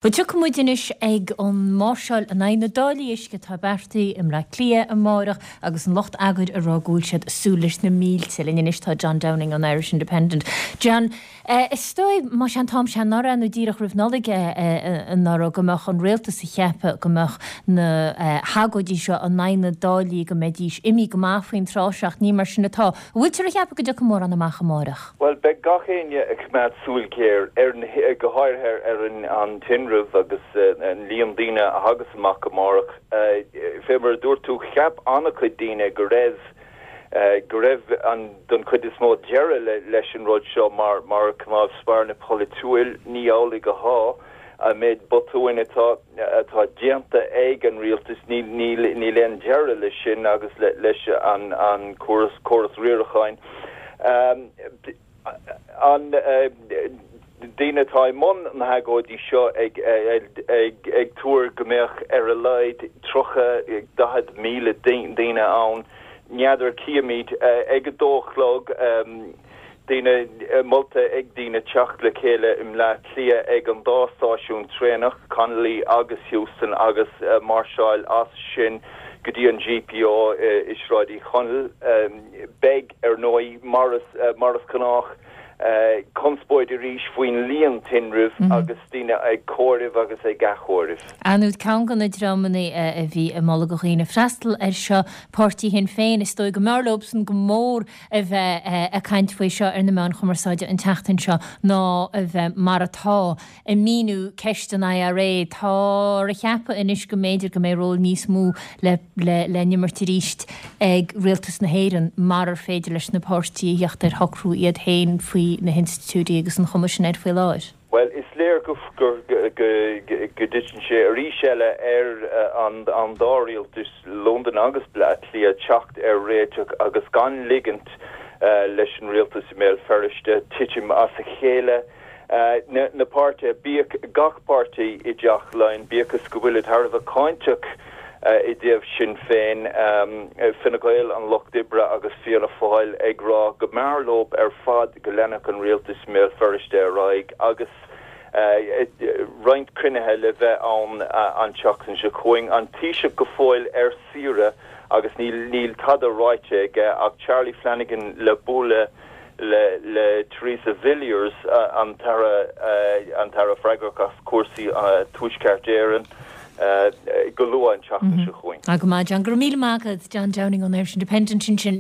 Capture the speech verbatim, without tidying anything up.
Bhuel, tiocfaidh muid anois ag an máirseáil in aghaidh na dtáillí uisce atá beartaithe i mBleá Cliath amárach agus an lucht eagair ag rá go bhfuil siad ag súil leis na mílte. Linn anois tá John Downing ón Irish Independent. John, is dóigh, más é an t-am seo anuraidh nó díreach roimh Nollaig anuraidh go mbeadh an rialtas ag ceapadh go mbeadh na hagóidí seo in aghaidh na dtáillí go mbeidís imithe go maith faoin tráth seo ach ní mar sin atá. An bhfuiltear ag ceapadh go dtiocfaidh mórán amach amárach? Bhuel, beidh gach éinne ag coimeád súil ghéar ar na, go háirithe ar an an tinreamh agus an líon daoine a thagas amach amárach. Fé mar a dúirt tú, cheap an-chuid daoine go raibh go raibh an don chuid is mó deireadh leis an rud seo mar mar cnámh spairne polaitiúil. Ní amhlaidh atá. An méid botúin atá atá déanta ag an rialtas, níl níl níl aon deireadh leis sin agus leis an an córas córas riaracháin. An daoine atá i mbun na hagóidí seo ag ag ag tuar go mbeadh ar a laghad tríocha daichead míle daoine ann. N'fheadar, cífimid. Ag a dó a chlog, daoine molta ag daoine teacht le chéile i mBleá Cliath ag an dá stáisiún traenach, Connolly agus Heuston, agus máirseáil as sin go dtí an G P O i Sráid Uí Chonaill. Beidh, ar ndóigh, mar is mar is gnách, conspóid arís faoin líon tinrimh agus daoine ag comhaireamh agus ag athchomhaireamh. Ar ndóigh, ceann de na dreamanna a bhí ag moladh do dhaoine freastal air seo, páirtí Shinn Féin, is dóigh go mb'fhearr leobsan go mór a bheith ag caint faoi seo ar na meáin chumarsáide an tseachtain seo ná a bheith mar atá ag míniú ceist an I R A. Tá á cheapadh anois go mb'fhéidir go mbeidh ról níos mó le le le n-imirt arís ag rialtas na hÉireann mar ar féidir leis na páirtithe a theacht ar shocrú iad féin faoi na hinstitiúidí agus an chuma sin air faoi láthair. Well, is léir go go go dtiteann sé arís eile ar an an dá rialtas, Londain agus Bleá Cliath, teacht ar réiteach agus gan ligint leis an rialtas i mBéal Feirste titim as a chéile. Na na páirtithe, bíodh gach páirtí i dTeach Laighean, bíodh is go bhfuil thar a bheith cáinteach i dtaobh Sinn Féin, Fine Gael, an Lucht Oibre agus Fianna Fáil, ag rá go mb'fhearr leo ar fad go leanfadh an rialtas i mBéal Feirste ar aghaidh agus roinnt cruinnithe le bheith ann an tseachtain seo chugainn. An Taoiseach go fóill ar saoire agus níl níl tada ráite aige ach Charlie Flanagan le bualadh le le Theresa Villiers, an tAire an tAire freagrach as cúrsaí Tuaisceart Éireann, go luath an tseachtain seo chugainn. Go maith, John, go raibh míle maith agat, John Downing ón Irish Independent sin sin.